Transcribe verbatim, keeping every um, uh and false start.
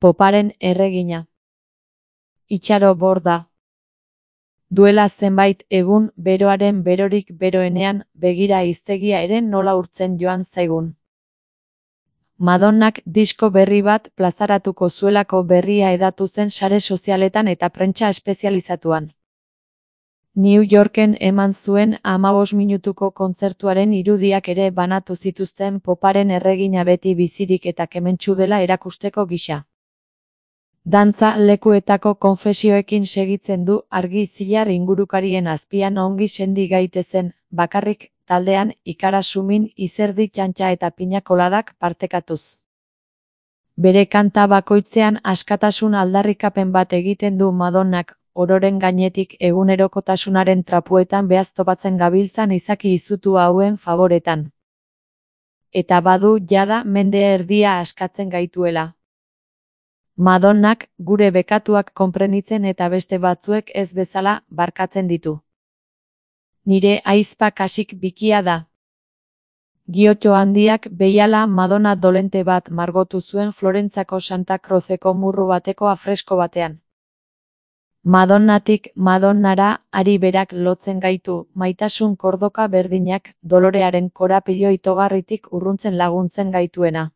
Poparen erregina. Itxaro Borda. Duela zenbait egun, beroaren berorik beroenean, begira hiztegia ere nola urtzen joan zaigun. Madonnak disko berri bat plazaratuko zuelako berria hedatu zen sare sozialetan eta prentsa espezializatuan. New Yorken eman zuen hamabost minutuko kontzertuaren irudiak ere banatu zituzten poparen erregina beti bizirik eta kementsu dela erakusteko gisa. Dantza lekuetako konfesioekin segitzen du argi zilar ingurukarien azpian ongi sendi gaitezen, bakarrik, taldean, ikara sumin, izerdi txantxa eta pinakoladak partekatuz. Bere kanta bakoitzean askatasun aldarrikapen bat egiten du Madonnak, ororen gainetik egunerokotasunaren trapuetan behaztopatzen gabiltzan izaki izutu hauen favoretan. Eta badu jada mende erdia askatzen gaituela. Madonnak gure bekatuak konprenitzen eta beste batzuek ez bezala barkatzen ditu. Nire ahizpa kasik bikia da. Giotto handiak behiala Madonna dolente bat margotu zuen Florentzako Santa Cruzeko murru bateko afresko batean. Madonnatik Madonnara ari berak lotzen gaitu, maitasun kordoka berdinak, dolorearen korapilo itogarritik urruntzen laguntzen gaituena.